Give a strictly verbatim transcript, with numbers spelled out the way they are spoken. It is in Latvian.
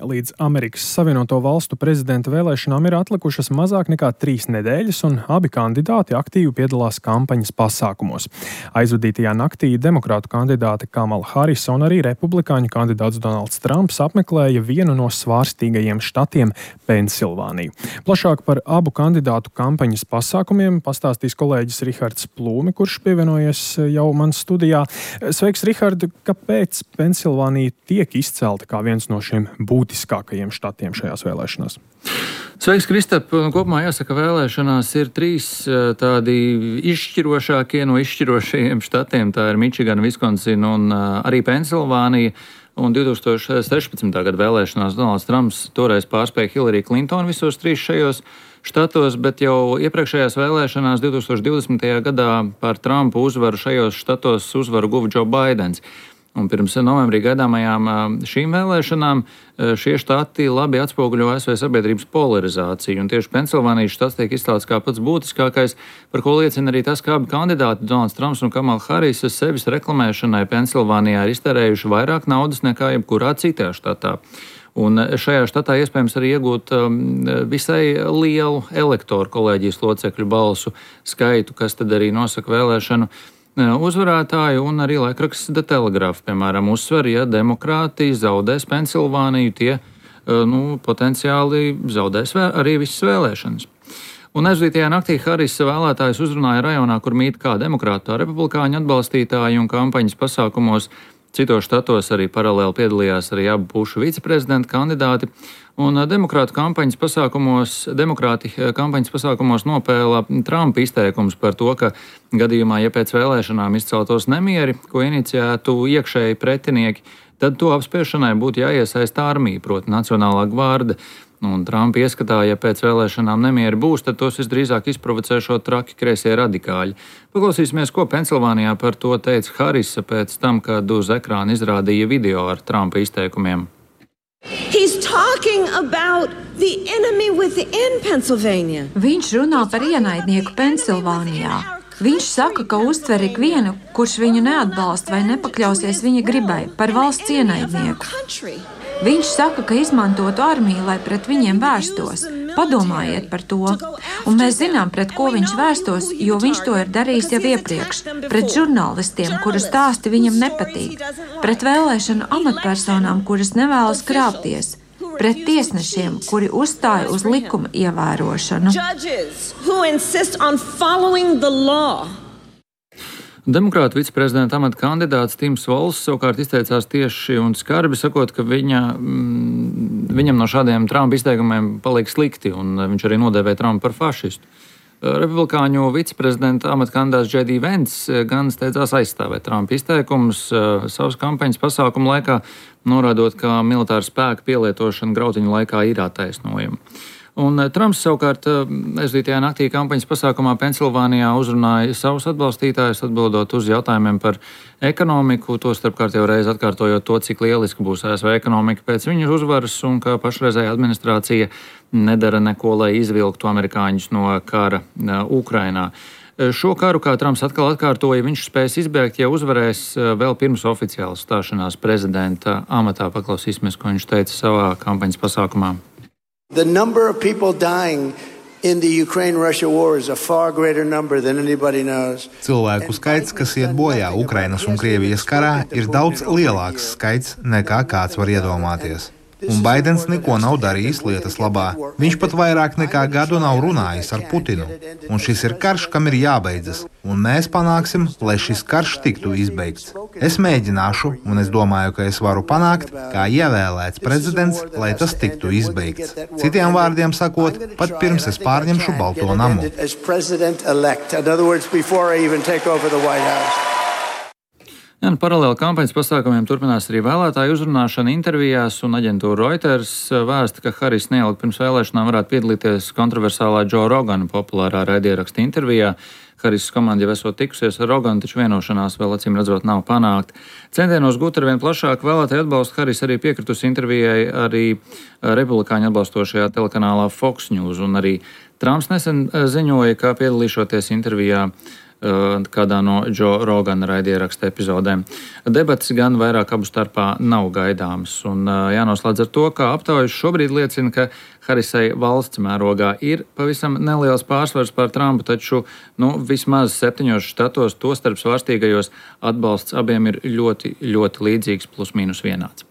Līdz Amerikas Savienoto Valstu prezidenta vēlēšanām ir atlikušas mazāk nekā trīs nedēļas, un abi kandidāti aktīvi piedalās kampaņas pasākumos. Aizvadītajā naktī demokrātu kandidāte Kamala Harisa un arī republikāņu kandidāts Donalds Trumps apmeklēja vienu no svārstīgajiem štatiem – Pensilvāniju. Plašāk par abu kandidātu kampaņas pasākumiem pastāstīs kolēģis Rihards Plūme, kurš pievienojies jau man studijā. Sveiks, Rihard! Kāpēc Pensilvānija tiek izcelta kā viens no šiem būtiskākajiem štatiem šajās vēlēšanās? Sveiks, Kristap! Kopumā jāsaka, vēlēšanās ir trīs tādi izšķirošākie no izšķirošajiem štatiem. Tā ir Mičigana, Viskonsina un arī Pensilvānija. Un divi tūkstoši sešpadsmitā gada vēlēšanās Donalds Trumps toreiz pārspēja Hillary Clintonu visos trīs šajos štatos, bet jau iepriekšējās vēlēšanās divi tūkstoši divdesmitajā gadā par Trumpu uzvaru šajos štatos uzvaru guva Joe Baidens. Un pirms novembrī gaidāmajām šīm vēlēšanām šie štati labi atspoguļo A S V sabiedrības polarizāciju. Un tieši Pensilvānijas štats tiek izcelts kā pats būtiskākais, par ko liecina arī tas, ka abi kandidāti, Donalds Trumps un Kamala Harisa, sevis reklamēšanai Pensilvānijā ir iztērējuši vairāk naudas nekā jebkurā citā štatā. Un šajā štatā iespējams arī iegūt visai lielu elektoru kolēģijas locekļu balsu skaitu, kas tad arī nosaka vēlēšanu uzvarētāju, un arī laikraksts The Telegraph, piemēram, uzsver, ja demokrāti zaudēs Pensilvāniju, tie nu, potenciāli zaudēs vēl, arī visas vēlēšanas. Un aizvadītajā naktī Harisa vēlētājus uzrunāja rajonā, kur mīt kā demokrātu, tā republikāņu atbalstītāji, un kampaņas pasākumos citos štatos arī paralēli piedalījās arī abu pušu viceprezidenta kandidāti. Un demokrātu kampaņas pasākumos, demokrāti kampaņas pasākumos nopēla Trumpa izteikums par to, ka gadījumā, ja pēc vēlēšanām izceltos nemieri, ko iniciētu iekšēji pretinieki, tad to apspiešanai būtu jāiesaista armija, proti Nacionālā gvarde. Un Trumpa ieskatā, ja pēc vēlēšanām nemieri būs, tad tos visdrīzāk izprovocēšot traki kreisie radikāļi. Paklausīsimies, ko Pensilvānijā par to teica Harisa pēc tam, kad uz ekrāna izrādīja video ar Trumpa izteikumiem. Viņš runā par ienaidnieku Pensilvānijā. Viņš saka, ka uztver ikvienu, kurš viņu neatbalsta vai nepakļausies viņa gribai, par valsts ienaidnieku. Viņš saka, ka izmantotu armiju, lai pret viņiem vērstos. Padomājiet par to. Un mēs zinām, pret ko viņš vērstos, jo viņš to ir darījis jau iepriekš. Pret žurnālistiem, kuru stāsti viņam nepatīk. Pret vēlēšanu amatpersonām, kuras nevēlas krāpties. Pret tiesnešiem, kuri uzstāja uz likuma ievērošanu. Demokrātu viceprezidenta amata kandidāts Tims Volss savukārt izteicās tieši un skarbi, sakot, ka viņa, mm, viņam no šādiem Trumpa izteikumiem paliek slikti, un viņš arī nodēvēja Trumpu par fašistu. Republikāņu viceprezidenta amata kandidāts J D Vance gan steidzās aizstāvēt Trumpa izteikumus savas kampaņas pasākumu laikā, norādot, ka militāra spēka pielietošana grautiņu laikā ir attaisnojama. Un Trumps savukārt aizvadītajā naktī kampaņas pasākumā Pensilvānijā uzrunāja savus atbalstītājus, atbildot uz jautājumiem par ekonomiku, to starpkārt jau reiz atkārtojot to, cik lieliski būs A S V ekonomika pēc viņu uzvaras un ka pašreizējā administrācija nedara neko, lai izvilktu amerikāņus no kara Ukrainā. Šo karu, kā Trumps atkal atkārtoja, viņš spēs izbēgt, ja uzvarēs vēl pirms oficiālas stāšanās prezidenta amatā. Paklausīsimies, ko viņš teica savā kampaņas pasākumā. The number of people dying in the Ukraine-Russia war is a far greater number than anybody knows. Cilvēku skaits, kas iet bojā Ukrainas un Krievijas karā, ir daudz lielāks skaits nekā kāds var iedomāties. Un Baidens neko nav darījis lietas labā. Viņš pat vairāk nekā gadu nav runājis ar Putinu. Un šis ir karš, kam ir jābeidzas. Un mēs panāksim, lai šis karš tiktu izbeigts. Es mēģināšu, un es domāju, ka es varu panākt, kā ievēlēts prezidents, lai tas tiktu izbeigts. Citiem vārdiem sakot, pat pirms es pārņemšu Balto namu. Ja, paralēli kampaņas pasākumiem turpinās arī vēlētāju uzrunāšana intervijās, un aģentūra Reuters vēsta, ka Haris neielgi pirms vēlēšanām varētu piedalīties kontroversālā Joe Rogana populārā raidieraksta intervijā. Haris komanda jau esot tikusies ar Roganu, taču vienošanās vēl acīm redzot nav panākt. Centienos gūt ar vien plašāku vēlētāju atbalstu Haris arī piekritusi intervijai arī republikāņu atbalstošajā telekanālā Fox News, un arī Trumps nesen ziņoja, ka piedalīšoties intervijā kādā no Džo Rogana raidieraksta epizodēm. Debates gan vairāk abu starpā nav gaidāmas, un jānoslēdz ar to, ka aptaujas šobrīd liecina, ka Harisai valsts mērogā ir pavisam neliels pārsvars pār Trumpu, taču nu, vismaz septiņos štatos, tostarp svārstīgajos, atbalsts abiem ir ļoti, ļoti līdzīgs, plus mīnus vienāds.